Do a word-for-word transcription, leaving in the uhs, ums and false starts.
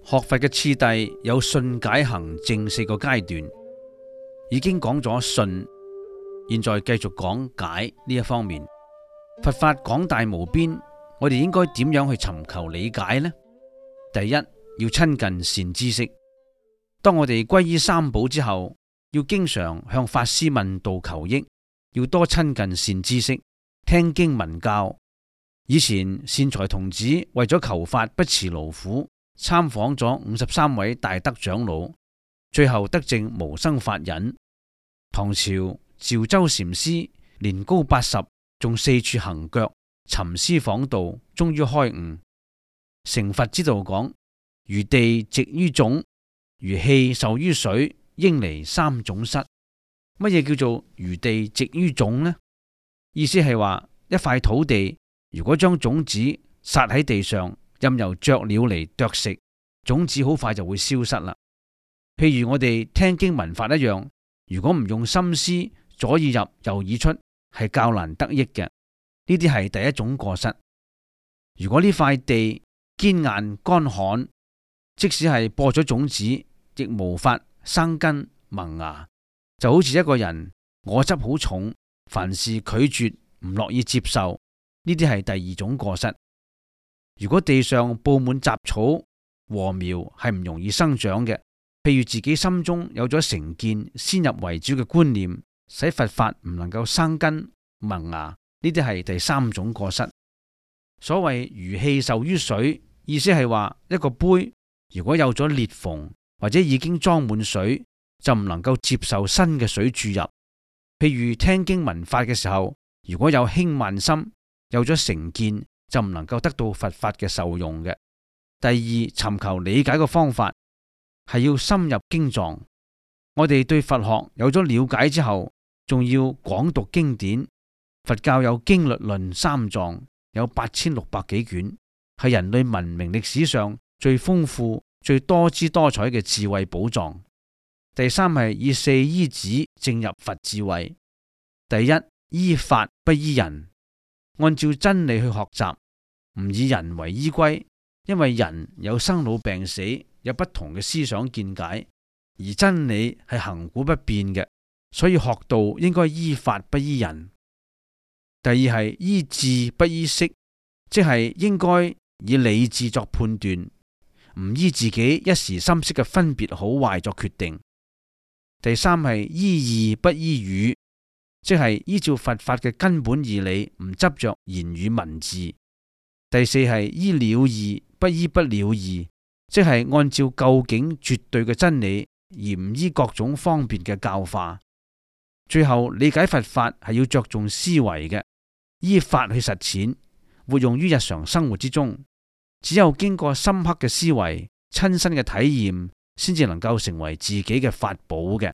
學佛嘅次第有信解行證四個階段，已經講咗信，現在繼續講解呢一方面。佛法廣大無邊，我哋應該點樣去尋求理解呢？第一，要親近善知識。當我哋皈依三寶之後，要經常向法師問道求益，要多親近善知識，聽經聞教。以前善財童子為咗求法不辭勞苦，參訪咗五十三位大德長老，最後得證無生法忍。唐朝趙州禪師年高八十，仲四處行腳尋師訪道，終於開悟。成佛之道講：如地植於種，如氣受於水，應離三種失。乜嘢叫做如地植於種呢？意思係話一塊土地，如果將種子撒喺地上，任由雀鳥嚟啄食，種子好快就會消失啦。譬如我哋聽經聞法一樣，如果唔用心思，左耳入右耳出，係較難得益嘅。呢啲係第一種過失。如果呢塊地堅硬乾旱，即使係播咗種子，亦無法生根萌芽。就好似一個人我執好重，凡事拒絕唔樂意接受，呢啲係第二種過失。如果地上布滿雜草，禾苗係唔容易生長嘅。譬如自己心中有咗成見，先入為主嘅觀念，使佛法唔能夠生根萌芽，呢啲係第三種過失。所謂如氣受於水，意思係話一個杯如果有咗裂縫或者已經裝滿水，就唔能夠接受新嘅水注入。譬如聽經聞法嘅時候，如果有輕慢心，有咗成見，就唔能夠得到佛法嘅受用嘅。第二，尋求理解嘅方法係要深入經藏。我哋對佛學有咗了解之後，仲要廣讀經典。佛教有經律論三藏，有八千六百幾卷，係人類文明歷史上最豐富、最多姿多彩嘅智慧寶藏。第三係以四依止證入佛智慧。第一，依法不依人，按照真理去學習，唔以人為依歸，因為人有生老病死，有不同嘅思想見解，而真理係恆古不變嘅，所以學道應該依法不依人。第二係依智不依識，即係應該以理智作判斷，唔依自己一時心識嘅分別好壞作決定。第三係依義不依語，即係依照佛法嘅根本義理，唔執着言語文字。第四係依了義不依不了義，即係按照究竟絕對嘅真理，而唔依各種方便嘅教化。最後理解佛法係要着重思維嘅，依法去實踐，活用於日常生活之中。只有經過深刻嘅思維、親身嘅體驗，先至能夠成為自己嘅法寶嘅。